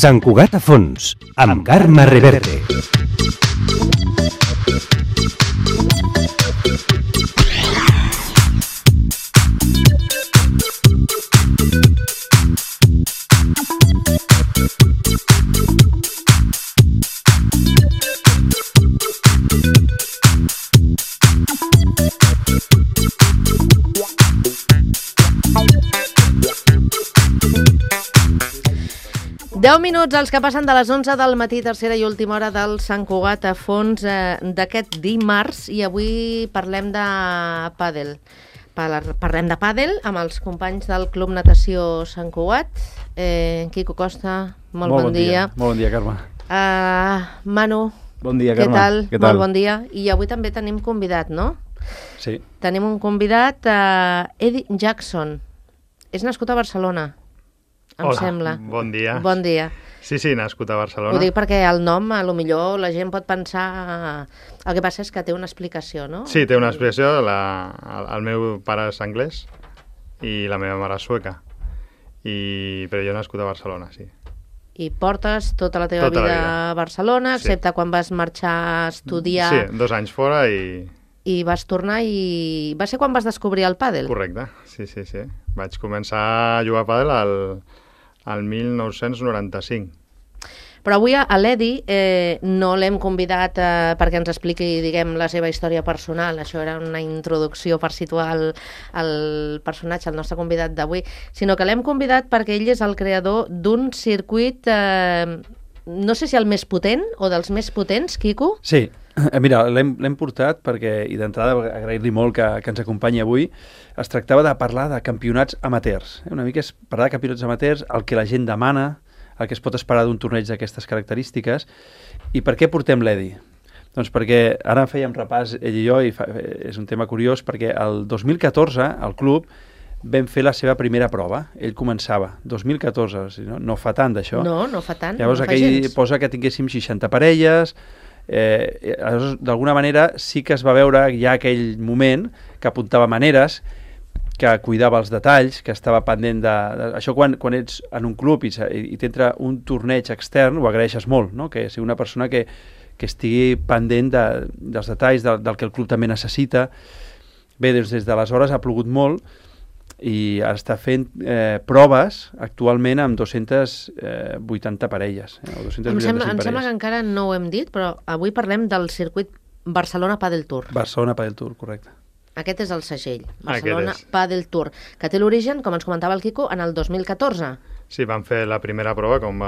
Sant Cugat a fons, amb Carme Reverte. Deu minuts els que passen de les 11 del matí, tercera i última hora del Sant Cugat a fons d'aquest dimarts, i avui parlem de pàdel. Parlem de pàdel amb els companys del Club Natació Sant Cugat. Quico Costa, molt bon dia. Molt bon dia, Carme. Manu, bon dia, Carme. Què tal? Molt bon dia. I avui també tenim convidat, no? Sí. Tenim un convidat, Eddie Jackson. És nascut a Barcelona. Em sembla. Bon dia. Bon dia. Sí, nascut a Barcelona. Ho dic perquè el nom, a lo millor la gent pot pensar... El que passa és que té una explicació, no? Sí, té una explicació. El meu pare és anglès i la meva mare és sueca. Però jo he nascut a Barcelona, sí. I portes tota la teva vida a Barcelona, excepte quan vas marxar a estudiar... Sí, 2 anys fora i... I vas tornar i... Va ser quan vas descobrir el pàdel? Correcte, sí. Vaig començar a jugar a pàdel al 1995. Però avui a l'Edi no l'hem convidat perquè ens expliqui, diguem, la seva història personal. Això era una introducció per situar el personatge, el nostre convidat d'avui, sinó que l'hem convidat perquè ell és el creador d'un circuit, no sé si el més potent o dels més potents, Quico? Sí, mira, l'hem portat perquè, i d'entrada agrair-li molt que ens acompanyi avui. Es tractava de parlar de campionats amateurs. Una mica és parlar de campionats amateurs, el que la gent demana, el que es pot esperar d'un torneig d'aquestes característiques. I per què portem l'Edi? Doncs perquè ara fèiem repàs ell i jo, i és un tema curiós, perquè el 2014 al club vam fer la seva primera prova. Ell començava, 2014, o sigui, no fa tant d'això. No fa tant, llavors, no fa gens. Posa que tinguéssim 60 parelles. D'alguna manera sí que es va veure ja aquell moment que apuntava maneres, que cuidava els detalls, que estava pendent de... Això quan ets en un club i t'entra un torneig extern, ho agraeixes molt, no? Que sigui una persona que estigui pendent dels detalls, del que el club també necessita. Bé, doncs des d'aleshores ha plogut molt i està fent proves actualment amb 280 parelles. Em sembla que encara no ho hem dit, però avui parlem del circuit Barcelona Padel Tour. Barcelona Padel Tour, correcte. Aquest és el segell, Barcelona Padel Tour, que té l'origen, com ens comentava el Quico, en el 2014. Sí, vam fer la primera prova, com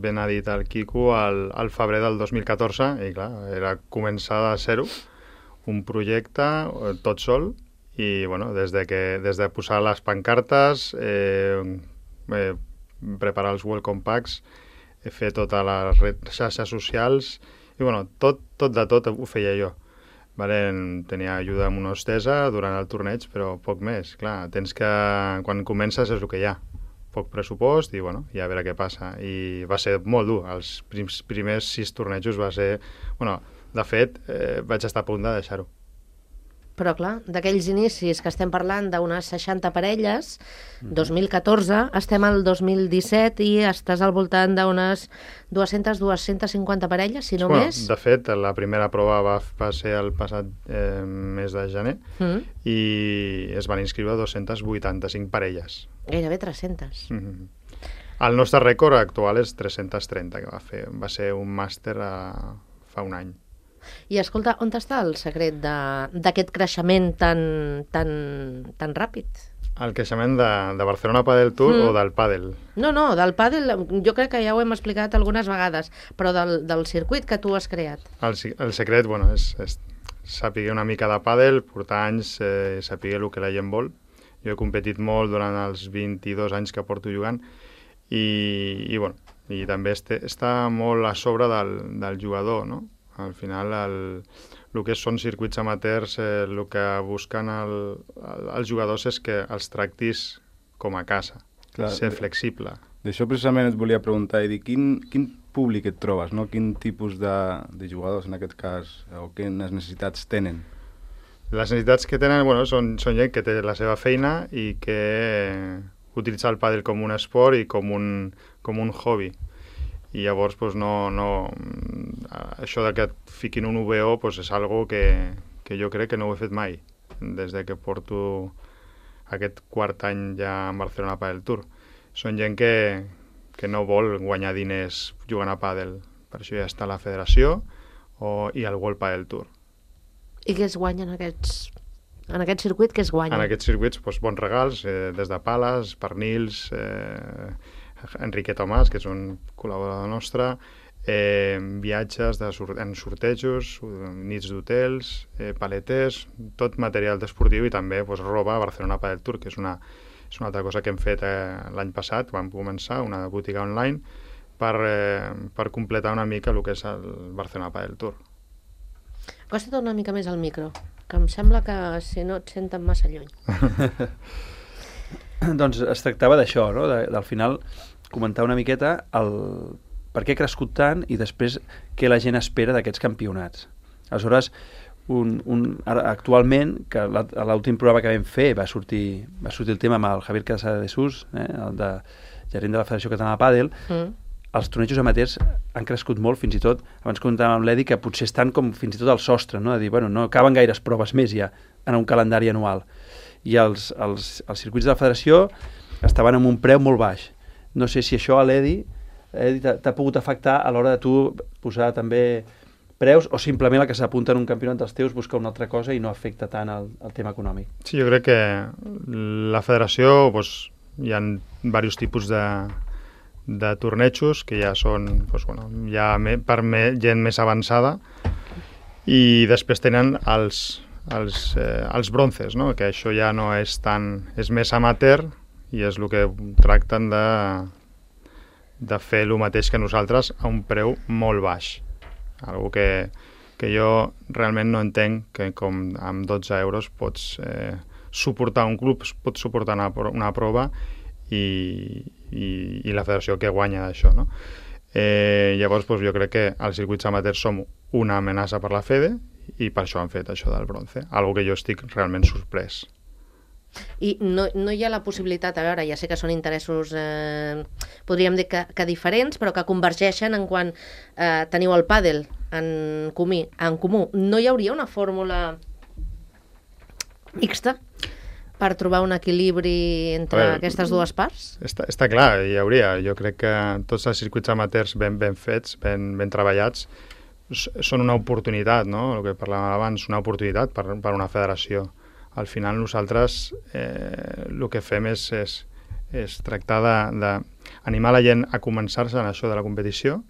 ben ha dit el Quico, al febrer del 2014, i clar, era començar de zero, un projecte tot sol, i bueno, des de posar les pancartes, preparar els welcome packs, fer totes les xarxes socials, i bueno, tot ho feia jo. Tenia ajuda amb una hostessa durant el torneig, però poc més. Clar, quan comences és el que hi ha. Poc pressupost i, bueno, ja a veure què passa. I va ser molt dur. Els primers 6 tornejos va ser... Bueno, de fet, vaig estar a punt de deixar-ho. Però, clar, d'aquells inicis que estem parlant d'unes 60 parelles, 2014, estem al 2017 i estàs al voltant d'unes 200-250 parelles, si no més. De fet, la primera prova va ser el passat mes de gener i es van inscriure 285 parelles. Gairebé 300. El nostre rècord actual és 330, que va ser un màster fa un any. I escolta, on està el secret d'aquest creixement tan ràpid? El creixement de Barcelona Padel Tour o del pàdel? No, del pàdel jo crec que ja ho hem explicat algunes vegades, però del circuit que tu has creat. El secret, bueno, és saber una mica de pàdel, portar anys, saber el que la gent vol. Jo he competit molt durant els 22 anys que porto jugant i també està molt a sobre del jugador, no? Al final, el que són circuits amateurs, el que busquen els jugadors és que els tractis com a casa, ser flexible. D'això precisament et volia preguntar, Edi, quin públic et trobes, no? Quin tipus de jugadors, en aquest cas, o quines necessitats tenen? Les necessitats que tenen, són gent que té la seva feina i que utilitza el pàdel com un esport i com un hobby. i llavors pues, això de que et fiquin un UBO pues, és algo que jo crec que no ho he fet mai des de que porto aquest quart any ja en Barcelona Padel Tour. Són gent que no vol guanyar diners jugant a pàdel, per això ja està la federació i el World Padel Tour. I què es guanya en aquest circuit? Què es guanya? En aquests circuits, doncs, bons regals, des de pales, pernils, Enrique Tomàs, que és un col·laborador nostre, viatges en sortejos, nits d'hotels, paletes, tot material esportiu i també doncs, roba a Barcelona Padel Tour, que és una altra cosa que hem fet l'any passat. Vam començar una botiga online per completar una mica el que és el Barcelona Padel Tour. Acosta't una mica més al micro, que em sembla que si no et senten massa lluny. Doncs es tractava d'això, no? Al final comentar una miqueta per què ha crescut tant i després què la gent espera d'aquests campionats. Aleshores, actualment, que a l'últim programa que vam fer va sortir el tema amb el Javier Casada de Sus, el gerent de la Federació Catalana de Pàdel, els tornejos amateurs han crescut molt, fins i tot, abans comentàvem amb l'Edi, que potser estan com fins i tot al sostre, no? De dir, bueno, no caben gaires proves més ja en un calendari anual. I els circuits de la Federació estaven amb un preu molt baix. No sé si això a l'Edi t'ha pogut afectar a l'hora de tu posar també preus o simplement el que s'apunta en un campionat dels teus busca una altra cosa i no afecta tant el tema econòmic. Sí, jo crec que la federació doncs, hi ha diversos tipus de tornejos que ja són doncs, ja per gent més avançada i després tenen els bronces, no? Que això ja no és tant, és més amateur i és el que tracten de fer el mateix que nosaltres a un preu molt baix. Algo que jo realment no entenc que com amb 12 euros pots suportar un club, pots suportar una prova i la federació que guanya d'això, no? Llavors doncs, jo crec que els circuits amateurs som una amenaça per la FEDE i per això han fet això del bronze, algo que jo estic realment sorprès. I no hi ha la possibilitat, a veure, ja sé que són interessos, podríem dir que diferents, però que convergeixen en quan teniu el pàdel en comú. No hi hauria una fórmula mixta per trobar un equilibri entre aquestes dues parts? Està clar, hi hauria. Jo crec que tots els circuits amateurs ben fets, ben treballats, són una oportunitat, no? El que parlàvem abans, una oportunitat per una federació. Al final nosaltres el que fem és tractar d'animar la gent a començar-se en això de la competició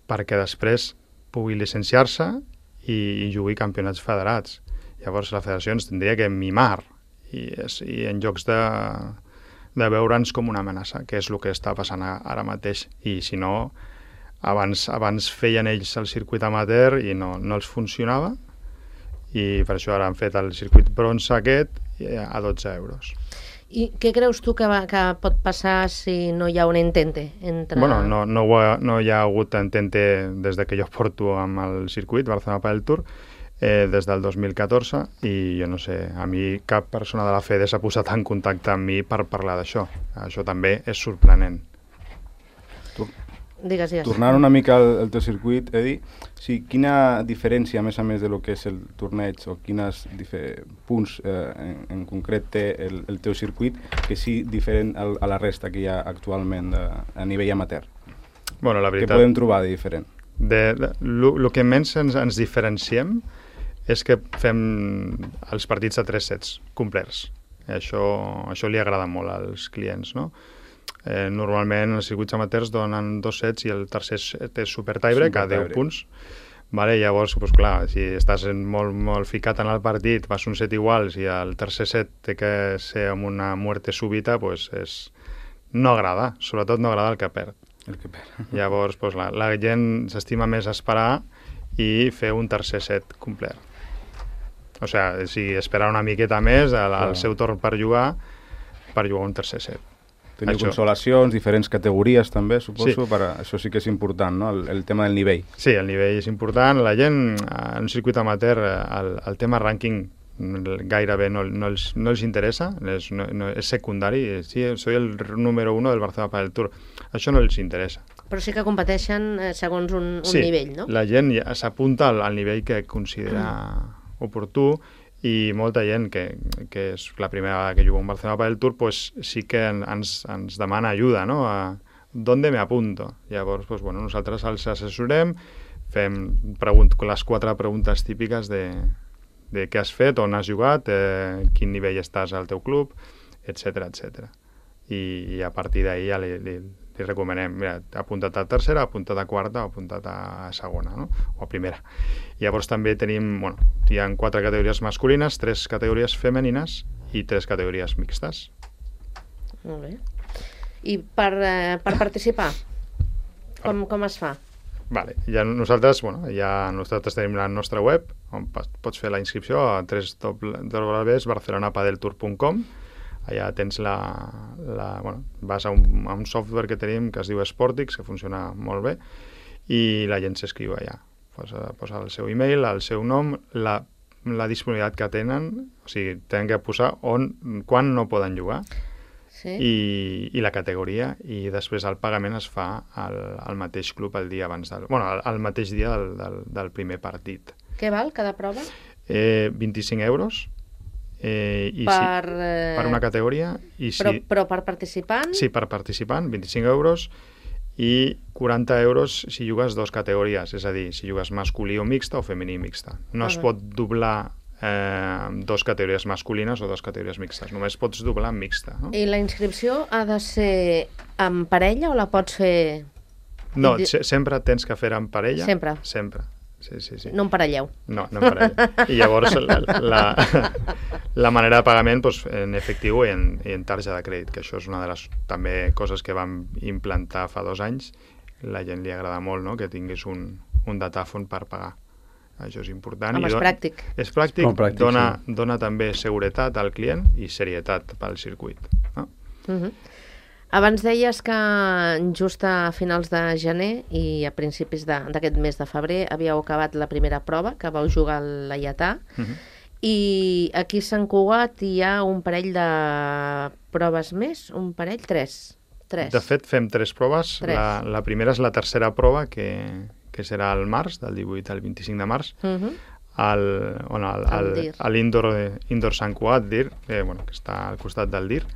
perquè després pugui llicenciar-se i jugui campionats federats. Llavors la federació ens tindria que mimar i en llocs de veure'ns com una amenaça, que és el que està passant ara mateix. I si no, abans feien ells el circuit amateur i no els funcionava, i per això ara han fet el circuit bronze aquest a 12 euros. I què creus tu que pot passar si no hi ha un entente? Bueno, no hi ha hagut entente des de que jo porto amb el circuit Barcelona Padel Tour des del 2014 i jo no sé, a mi cap persona de la FEDE s'ha posat en contacte amb mi per parlar d'això. Això també és sorprenent. Digues. Tornant una mica al teu circuit, Edi, quina diferència, a més del que és el torneig, o quins punts en concret té el teu circuit que sí diferent a la resta que hi ha actualment a nivell amateur? Bueno, la veritat, què podem trobar de diferent? El que menys ens diferenciem és que fem els partits a 3 sets complets. Això li agrada molt als clients, no? Normalment els circuits amateurs donen 2 sets i el tercer set és super tiebreak a 10 punts. Vale, llavors, doncs, clar, si estàs molt ficat en el partit, vas un set iguals i el tercer set té que ser amb una muerte súbita, doncs no agrada, sobretot no agrada el que perd. Llavors, doncs, la gent s'estima més esperar i fer un tercer set complet. O sigui, esperar una miqueta més al seu torn per jugar un tercer set. Teniu consolacions, diferents categories també, suposo, això sí que és important, no? El tema del nivell. Sí, el nivell és important. La gent, en un circuit amateur, el tema rànquing gairebé no els interessa, és secundari. Sí, soy el número 1 del Barcelona Padel Tour. Això no els interessa. Però sí que competeixen segons un nivell, no? Sí, la gent ja s'apunta al nivell que considera oportú, i molta gent que és la primera vegada que juga un Barcelona Padel Tour, pues sí que ens demana ajuda, no? ¿Dónde me apunto? Llavors, pues, bueno, nosaltres els assessorem, fem les 4 preguntes típiques de què has fet, on has jugat, quin nivell estàs al teu club, etc etc. I a partir d'ahir ja li recomanem, mira, apunta't a tercera, apunta't a quarta o apunta't a segona, no? O a primera. Llavors també tenim, bueno, hi ha 4 categories masculines, 3 categories femenines i 3 categories mixtes. Molt bé. I per participar, com es fa? Vale. Nosaltres tenim la nostra web, on pots fer la inscripció a www.barcelonapadeltour.com. Allà tens vas a un software que tenim que es diu Sportix, que funciona molt bé, i la gent s'escriu allà. Posa el seu e-mail, el seu nom, la disponibilitat que tenen, o sigui, tenen que posar quan no poden jugar, sí. I la categoria, i després el pagament es fa al mateix club el dia abans al mateix dia del primer partit. Què val cada prova? 25 euros. Per una categoria. Però per participant? Sí, per participant, 25 euros, i 40 euros si jugues 2 categories, és a dir, si jugues masculí o mixta o femení mixta. No es pot doblar 2 categories masculines o 2 categories mixtes, només pots doblar en mixta. No? I la inscripció ha de ser en parella o la pots fer... No, sempre tens que fer en parella. Sempre? Sempre. Sí. No emparelleu. No emparelleu. I llavors la manera de pagament, doncs, en efectiu i en tarja de crèdit, que això és una de les també coses que vam implantar fa 2 anys. La gent li agrada molt, no?, que tinguis un datàfon per pagar. Això és important. És pràctic. És pràctic, dona també seguretat al client i serietat pel circuit. No? Abans deies que just a finals de gener i a principis d'aquest mes de febrer havíeu acabat la primera prova, que vau jugar al Laietà, i aquí a Sant Cugat hi ha un parell de proves més, un parell, 3. De fet, fem 3 proves. La primera és la tercera prova, que serà al març, del 18 al 25 de març, a l'Indoor Sant Cugat, DIR, que està al costat del DIR.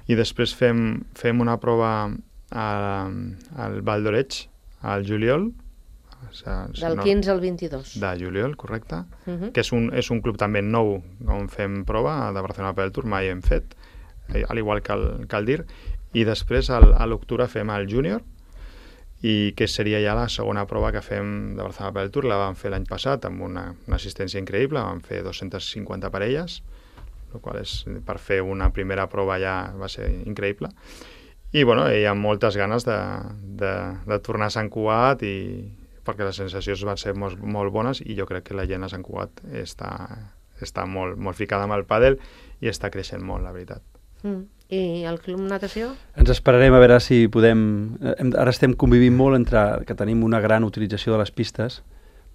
I després fem una prova al Val d'Oreig, al juliol. Del 15 al 22. De juliol, correcte. Que és un club també nou on fem prova, de Barcelona Padel Tour, mai hem fet, al igual que el DIR. I després, a l'octubre, fem el júnior, i que seria ja la segona prova que fem de Barcelona Padel Tour. La vam fer l'any passat amb una assistència increïble, vam fer 250 parelles, el qual per fer una primera prova ja va ser increïble. I hi ha moltes ganes de tornar a Sant Cugat, perquè les sensacions van ser molt bones, i jo crec que la gent a Sant Cugat està molt ficada amb el pàdel i està creixent molt, la veritat. I el Club Natació? Ens esperarem a veure si podem... Ara estem convivint molt entre que tenim una gran utilització de les pistes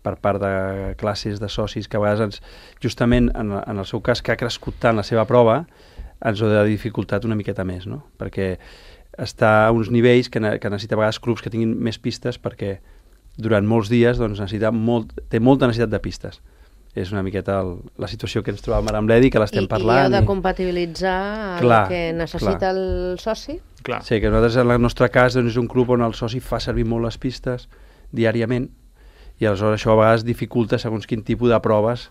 per part de classes, de socis, que a vegades justament en el seu cas, que ha crescut tant la seva prova, ens ho ha dificultat una miqueta més, no? Perquè està a uns nivells que necessita a vegades clubs que tinguin més pistes, perquè durant molts dies té molta necessitat de pistes. És una miqueta la situació que ens trobàvem ara amb l'Edi, que l'estem parlant. I heu de compatibilitzar el que necessita el soci? Clar. Sí, que nosaltres en el nostre cas és un club on el soci fa servir molt les pistes diàriament, i aleshores això a vegades dificulta segons quin tipus de proves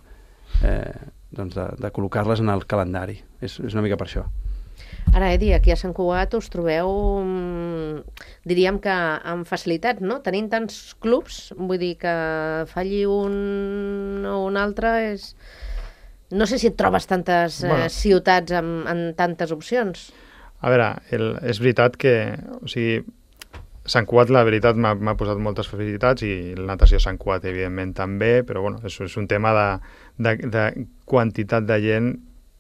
de col·locar-les en el calendari. És una mica per això. Ara, Edi, aquí a Sant Cugat us trobeu, diríem que amb facilitat, no? Tenint tants clubs, vull dir que falli un o un altre és... No sé si et trobes tantes ciutats amb tantes opcions. A veure, és veritat que... O sigui, Sant Cugat, la veritat, m'ha posat moltes facilitats, i la natació Sant Cugat, evidentment, també, però és un tema de quantitat de gent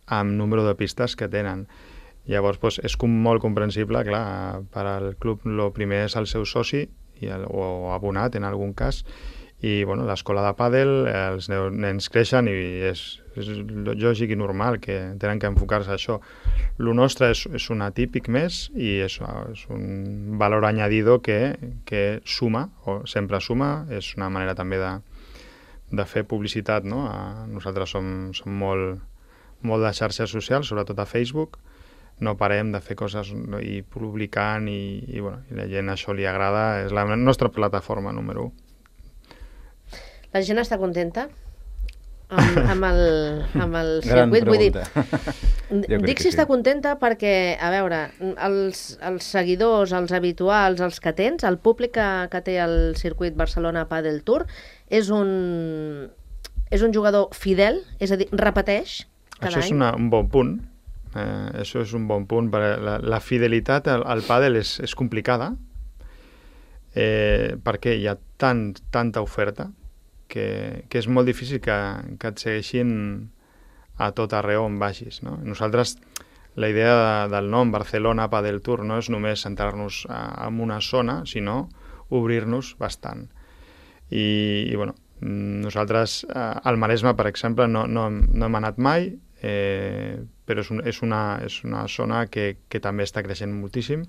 amb número de pistes que tenen. Llavors, és molt comprensible, clar, per al club el primer és el seu soci, o abonat en algun cas, I bueno, l'escola de pàdel, els nens creixen i és lògic i normal que tenen que enfocar-se a això. Lo nostre és un atípic més i és un valor añadido que suma, o sempre suma, és una manera també de fer publicitat, no? Nosaltres som molt de xarxes socials, sobretot a Facebook, no parem de fer coses i publicant i la gent això li agrada, és la nostra plataforma número 1. La gent està contenta amb el Gran circuit? Vull dir, pregunta. dic si està contenta perquè, a veure, els seguidors, els habituals, els que tens, el públic que té el circuit Barcelona Padel Tour, és un jugador fidel, és a dir, repeteix cada Això és any? un bon punt. Això és un bon punt. La fidelitat al pàdel és complicada perquè hi ha tanta oferta que és molt difícil que et segueixin a tot arreu on vagis, no? Nosaltres, la idea del nom Barcelona Padel Tour no és només centrar-nos en una zona, sinó obrir-nos bastant. I bueno, nosaltres al Maresme, per exemple, no hem anat mai, però és una zona que també està creixent moltíssim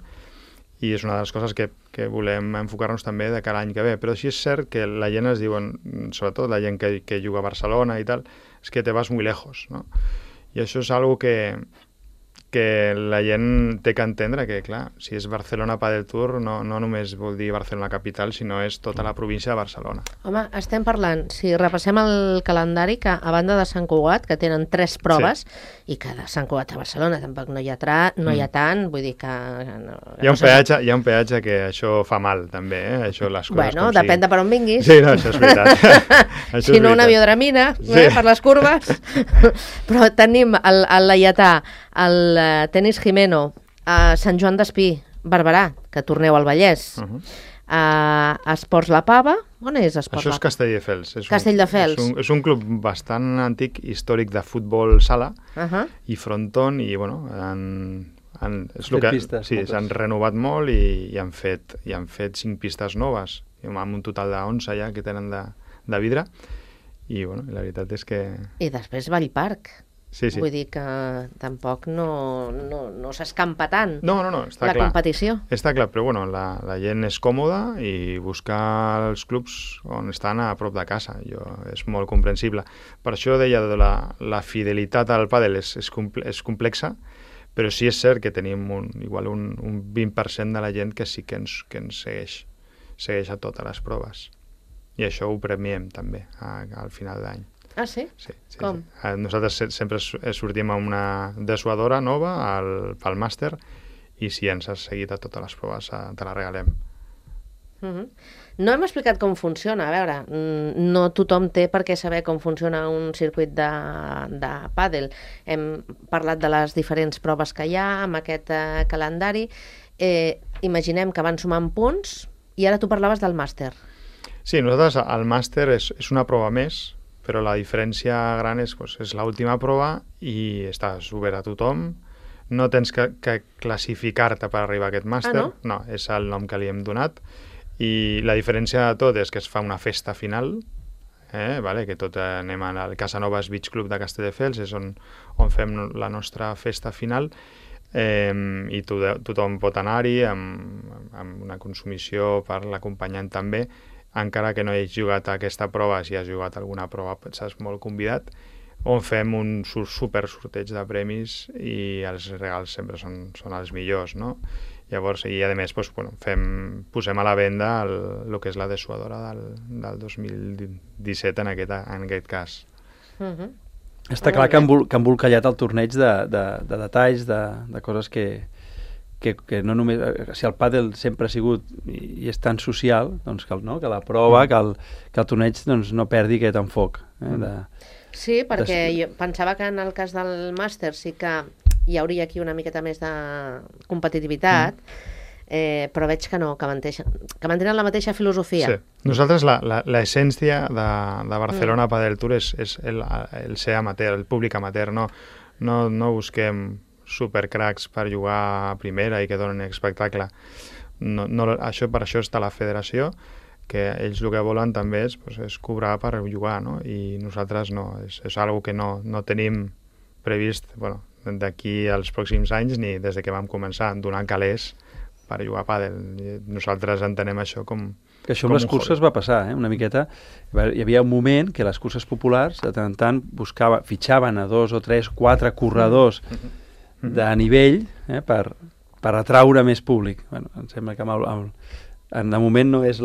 i és una de les coses que volem enfocar-nos també de cara a l'any que ve. Però sí és cert que la gent es diuen, sobretot la gent que juga a Barcelona i tal, és que te vas muy lejos, no? I això és algo que la gent té que entendre, que clar, si és Barcelona Padel Tour no només vol dir Barcelona capital, sinó és tota la província de Barcelona. Home, estem parlant, si repassem el calendari, que a banda de Sant Cugat, que tenen 3 proves, i que de Sant Cugat a Barcelona tampoc no hi ha tant, vull dir que... Hi ha un peatge que això fa mal, també, això les coses Bueno, depèn de per on vinguis. Sí, no, això és veritat. Si no, una biodramina, per les curves. Però tenim el Laietà, el Tenis Jimeno, a Sant Joan d'Espí, Barberà, que torneu al Vallès, Esports La Pava, on és Esports Això La és Castelldefels. Castelldefels. És un club bastant antic, històric de futbol sala i fronton, i bueno, s'han renovat molt i han fet 5 pistes noves, amb un total de 11 ja que tenen de vidre, i bueno, la veritat és que... I després Vallparc. Sí. Vull dir que tampoc no s'escampa tant No, està la clar. competició. Està clar, però bueno, la gent és còmoda i buscar els clubs on estan a prop de casa. És molt comprensible. Per això deia que la fidelitat al pàdel és complexa, però sí és cert que tenim igual un 20% de la gent que sí que ens segueix a totes les proves. I això ho premiem també al final d'any. Ah, sí? Sí. Com? Nosaltres sempre sortim amb una dessuadora nova pel màster, i si ens has seguit a totes les proves te la regalem. No hem explicat com funciona. A veure, no tothom té per què saber com funciona un circuit de pàdel. Hem parlat de les diferents proves que hi ha amb aquest calendari. Imaginem que van sumant punts i ara tu parlaves del màster. Sí, nosaltres el màster és una prova més, però la diferència gran és l'última prova i estàs obert a tothom. No tens que classificar-te per arribar a aquest màster. No? No, és el nom que li hem donat. I la diferència de tot és que es fa una festa final, que tot anem al Casanovas Beach Club de Castelldefels, és on fem la nostra festa final, i tothom pot anar-hi amb una consumició per l'acompanyant també, encara que no hagis jugat a aquesta prova. Si has jugat alguna prova estàs molt convidat, on fem un super sorteig de premis i els regals sempre són els millors, no? Llavors, i a més, posem a la venda el que és la dessuadora del 2017 en aquest cas. Està clar que han embolcallat el torneig de detalls, de coses que no només... Si el pàdel sempre ha sigut i és tan social, doncs que la prova, que el torneig no perdi aquest enfoc. Sí, perquè jo pensava que en el cas del màster sí que hi hauria aquí una miqueta més de competitivitat, però veig que no, que mantenen la mateixa filosofia. Sí. Nosaltres l'essència de Barcelona Padel Tour és el ser amateur, el públic amateur. No busquem supercracs per jugar a primera i que donen espectacle. Per això està la federació, que ells el que volen també és cobrar per jugar, no? I nosaltres no, és algo que no tenim previst, bueno, d'aquí als pròxims anys ni des de que vam començar, donar calés per jugar a pàdel. Nosaltres entenem això com... Que això amb les curses va passar, una miqueta. Hi havia un moment que les curses populars de tant en tant fitxaven a 2 o 3, 4 corredors de nivell per atraure més públic. Bueno, em sembla que de moment no és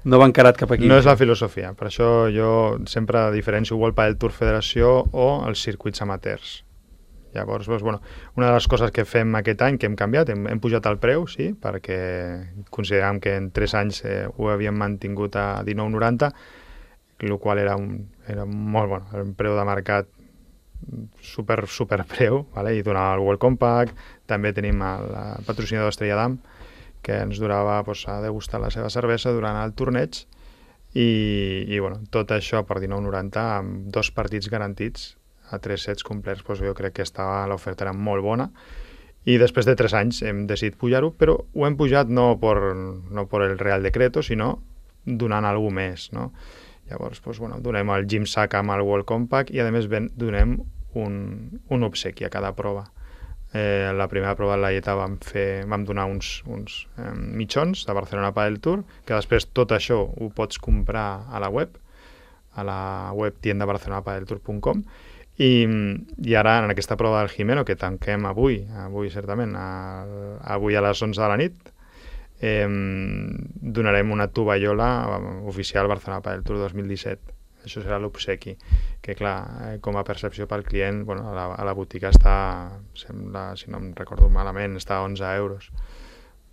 no va encarat cap aquí. No és la filosofia. Per això jo sempre diferencio World Padel Tour Federació o els circuits amateurs. Llavors, doncs, bueno, una de les coses que fem aquest any, que hem canviat, hem pujat el preu, sí, perquè consideràvem que en 3 anys ho havíem mantingut a 19,90, el qual era molt bon, era un preu de mercat super preu, vale? I donava el World Compact, també tenim el patrocinador Estrella d'Am, que ens durava a degustar la seva cervesa durant el torneig, i bueno, tot això per 19,90 amb 2 partits garantits a 3 sets complets, jo crec que l'oferta era molt bona, i després de 3 anys hem decidit pujar-ho, però ho hem pujat no per el Real Decreto, sinó donant alguna més, no? Llavors, bueno, donem el Gym Sack amb el World Compact i a més donem un obsequi a cada prova. La primera prova de la Lleta vam donar uns mitjons de Barcelona Padel Tour, que després tot això ho pots comprar a la web tiendabarcelonapadeltour.com, i ara en aquesta prova del Jimeno, que tanquem avui certament, avui a les 11 de la nit, donarem una tovallola oficial Barcelona Padel Tour 2017. Això serà l'obsequi, que clar, com a percepció pel client, bueno, a la botiga està, sembla, si no em recordo malament, està a 11 euros.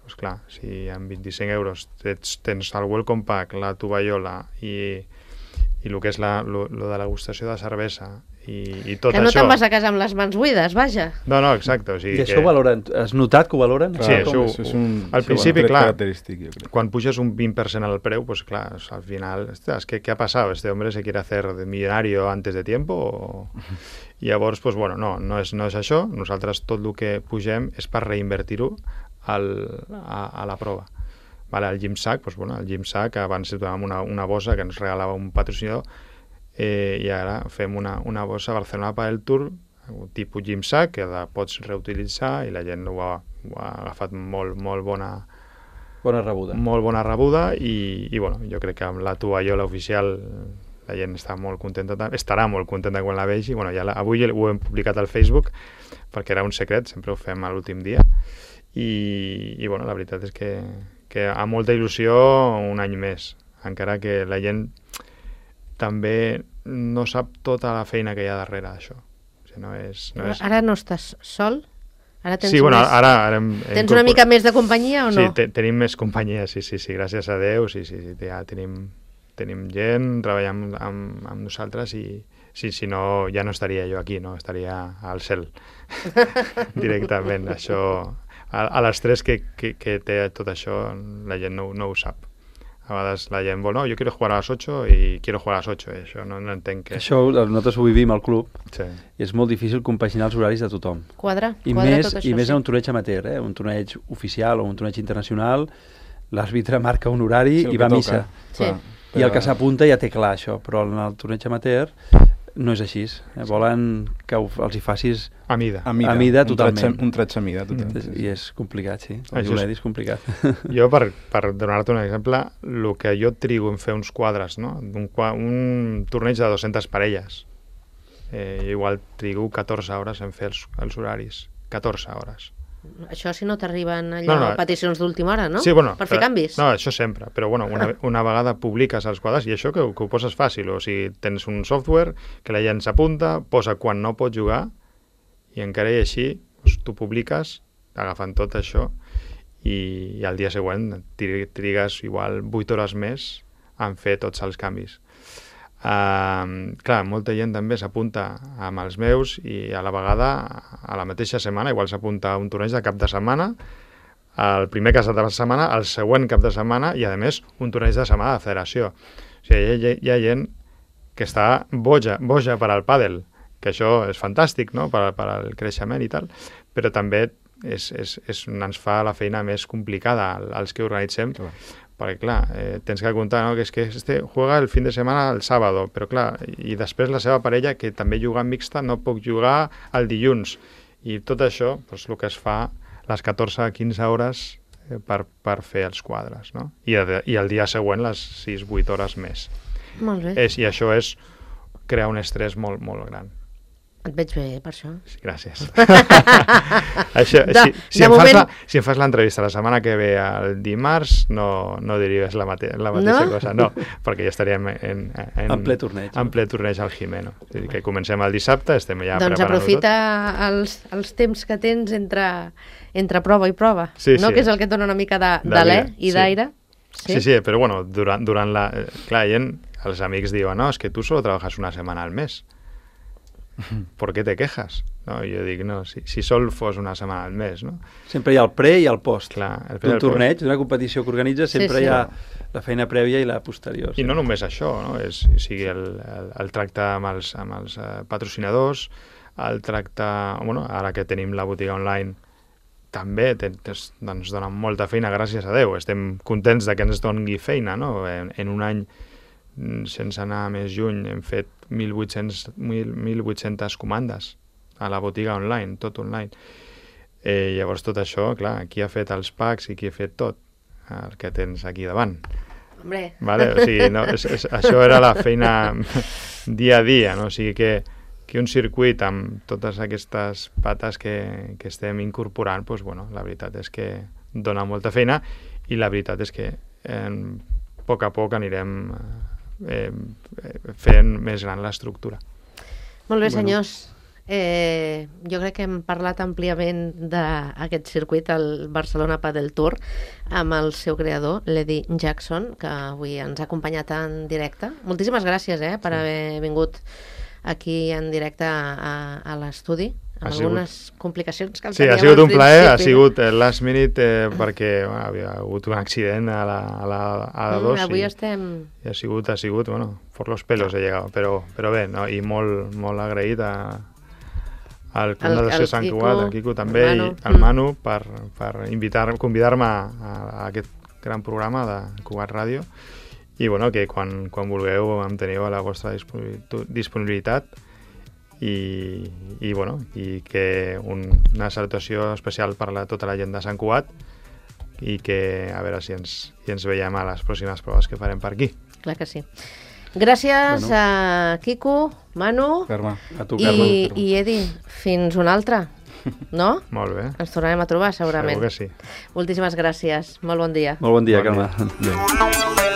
Doncs clar, si amb 25 euros tens el World Compact, la tovallola i el que és la degustació de cervesa i tot que no això... te'n vas a casa amb les mans buides, vaja. No, exacte. O sigui I això ho valoren? Has notat que ho valoren? Sí, això és un al principi, clar, característic, jo crec. Quan puges un 20% al preu, pues clar, al final, ¿qué ha pasado? ¿Este hombre se quiere hacer de millonario antes de tiempo? I llavors, pues bueno, no és això. Nosaltres tot el que pugem és per reinvertir-ho a la prova. Vale, el Gym Sack, pues bueno, el Gym Sack abans donàvem una bossa que ens regalava un patrocinador, i ara fem una bossa Barcelona Padel Tour tipus Gym Sack, que la pots reutilitzar, i la gent ho ha agafat molt bona rebuda, i bueno, jo crec que amb la tovallola oficial la gent estarà molt contenta quan la vegi. Bueno, avui ho hem publicat al Facebook perquè era un secret, sempre ho fem a l'últim dia, i bueno, la veritat és que amb molta il·lusió un any més, encara que la gent també no sap tota la feina que hi ha darrere d'això. O sigui, no és... Ara no estàs sol? Ara tens ara tens una mica més de companyia o no? Sí, tenim més companyia, sí, gràcies a Déu, sí, ja tenim gent treballant amb nosaltres, i si no, ja no estaria jo aquí, no? Estaria al cel directament. Això, a l'estrès que té tot això, la gent no ho sap. A vegades la gent vol, no, jo quiero jugar a las 8 y quiero jugar a las 8, això no entenc que... Això nosaltres ho vivim al club, sí. I és molt difícil compaginar els horaris de tothom. Quadra I tot més això, en un torneig amateur, un torneig oficial o un torneig internacional, l'àrbitre marca un horari i va a missa. Sí. I el que s'apunta ja té clar això, però en el torneig amateur no és així. Volen que els hi facis a mida totalment. Un traig a mida, totalment. I és complicat, sí. És complicat. Jo, per donar-te un exemple, el que jo trigo en fer uns quadres, no? Un torneig de 200 parelles, igual trigo 14 hores en fer els horaris. 14 hores. Això si no t'arriben peticions d'última hora, no? Sí, bueno, per fer canvis. No, això sempre, però bueno, una vegada publiques els quadres, i això que ho poses fàcil, o sigui, tens un software que la gent s'apunta, posa quan no pot jugar, i encara i així doncs, tu publiques agafant tot això, i al dia següent trigues igual 8 hores més en fer tots els canvis. Clar, molta gent també s'apunta amb els meus, i a la vegada, a la mateixa setmana, igual s'apunta a un torneig de cap de setmana, el primer cap de setmana, el següent cap de setmana, i a més un torneig de setmana de federació. O sigui, hi ha gent que està boja per al pàdel, que això és fantàstic, no?, per al creixement i tal, però també ens fa la feina més complicada als que organitzem, perquè clar, tens que comptar, no? Que és que juega el fin de setmana el sábado, però clar, i després la seva parella, que també juga en mixta, no puc jugar el dilluns, i tot això, doncs, el que es fa les 14-15 hores per fer els quadres, no? I el dia següent les 6-8 hores més. Molt bé. I això és crear un estrès molt, molt gran. Et veig bé, per això. Sí, gràcies. Això, si em fas l'entrevista la setmana que ve el dimarts, no diries la mateixa cosa. No, perquè ja estaríem en ple torneig. En ple torneig al Jimeno. És a dir, que comencem el dissabte, estem ja preparant-ho tot. Doncs aprofita els temps que tens entre prova i prova, no? Que és el que et dona una mica d'alè i d'aire. Sí, però bueno, durant la... Clar, els amics diuen, no, és que tu solo trabajas una setmana al mes. ¿Por qué te quejas? No, jo dic, no, si sol fos una setmana al mes, no? Sempre hi ha el pre i el post. Clar, d'un torneig, d'una competició que organitza, sempre hi ha la feina prèvia i la posterior. I no només això, no? O sigui, el tracte amb els patrocinadors, el tracte... Bueno, ara que tenim la botiga online, també ens donen molta feina, gràcies a Déu. Estem contents de que ens doni feina, no? En un any, sense anar més lluny, hem fet 1.800 comandes a la botiga online, tot online. Llavors tot això, clar, qui ha fet els packs i qui ha fet tot? El que tens aquí davant. Hombre. Vale? O sigui, no, això era la feina dia a dia, no? O sigui que un circuit amb totes aquestes pates que estem incorporant, doncs, bueno, la veritat és que dona molta feina i la veritat és que a poc a poc anirem fent més gran l'estructura. Molt bé, senyors. Jo crec que hem parlat àmpliament d'aquest circuit, el Barcelona Padel Tour, amb el seu creador, l'Eddie Jackson, que avui ens ha acompanyat en directe. Moltíssimes gràcies per haver vingut aquí en directe a l'estudi, amb algunes complicacions que sí, ha sigut un plaer, ha sigut last minute perquè havia hagut un accident a la 2 avui estem... I ha sigut, bueno, por los pelos he llegado, però bé, no? I molt agraït al Fundació Sant Cugat, al Quico també, i al Manu per convidar-me a aquest gran programa de Cugat Ràdio, i bueno, que quan vulgueu em teniu a la vostra disponibilitat, i bueno, i que una salutació especial per tota la gent de Sant Cugat, i que a veure si ens veiem a les pròximes proves que farem per aquí. Clar que sí. Gràcies a Quico, Manu, Carme. A tu, Carme. I Eddie, fins una altra, no? Molt bé. Ens tornarem a trobar segurament. Segur que sí. Moltíssimes gràcies, molt bon dia. Molt bon dia, Carme. Adéu.